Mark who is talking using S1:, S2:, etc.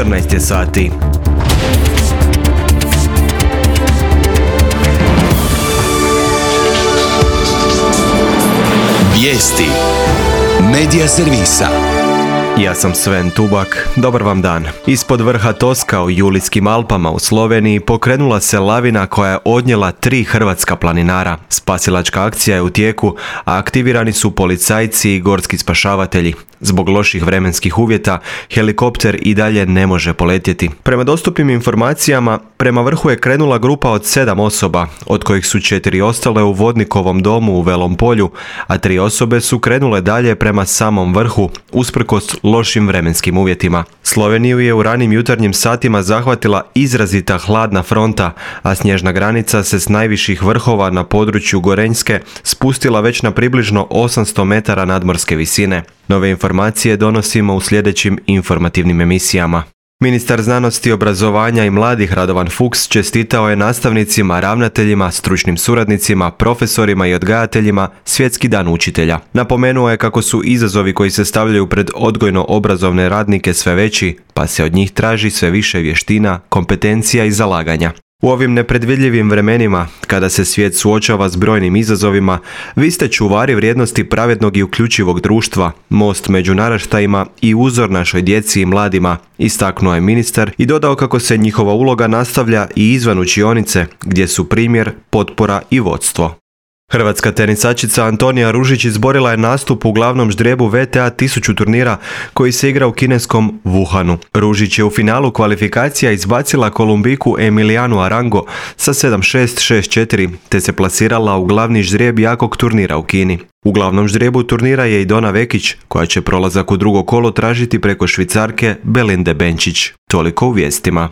S1: 14 je sati.
S2: Vijesti Medija servisa.
S1: Ja sam Sven Tubak, dobar vam dan. Ispod vrha Toska u Julijskim Alpama u Sloveniji pokrenula se lavina koja je odnijela 3 hrvatska planinara. Spasilačka akcija je u tijeku, a aktivirani su policajci i gorski spašavatelji. Zbog loših vremenskih uvjeta, helikopter i dalje ne može poletjeti. Prema dostupnim informacijama, prema vrhu je krenula grupa od 7 osoba, od kojih su 4 ostale u vodnikovom domu u Velom Polju, a 3 osobe su krenule dalje prema samom vrhu, usprkos lošim vremenskim uvjetima. Sloveniju je u ranim jutarnjim satima zahvatila izrazita hladna fronta, a snježna granica se s najviših vrhova na području Gorenjske spustila već na približno 800 metara nadmorske visine. Nove informacije donosimo u sljedećim informativnim emisijama. Ministar znanosti, obrazovanja i mladih Radovan Fuchs čestitao je nastavnicima, ravnateljima, stručnim suradnicima, profesorima i odgajateljima Svjetski dan učitelja. Napomenuo je kako su izazovi koji se stavljaju pred odgojno-obrazovne radnike sve veći, pa se od njih traži sve više vještina, kompetencija i zalaganja. U ovim nepredvidljivim vremenima, kada se svijet suočava s brojnim izazovima, vi ste čuvari vrijednosti pravednog i uključivog društva, most među naraštajima i uzor našoj djeci i mladima, istaknuo je ministar i dodao kako se njihova uloga nastavlja i izvan učionice, gdje su primjer, potpora i vodstvo. Hrvatska tenisačica Antonija Ružić izborila je nastup u glavnom ždrijebu WTA 1000 turnira koji se igra u kineskom Wuhanu. Ružić je u finalu kvalifikacija izbacila Kolumbiku Emilianu Arango sa 7-6, 6-4 te se plasirala u glavni ždrijeb jakog turnira u Kini. U glavnom ždrijebu turnira je i Dona Vekić, koja će prolazak u drugo kolo tražiti preko Švicarke Belinde Benčić. Toliko u vijestima.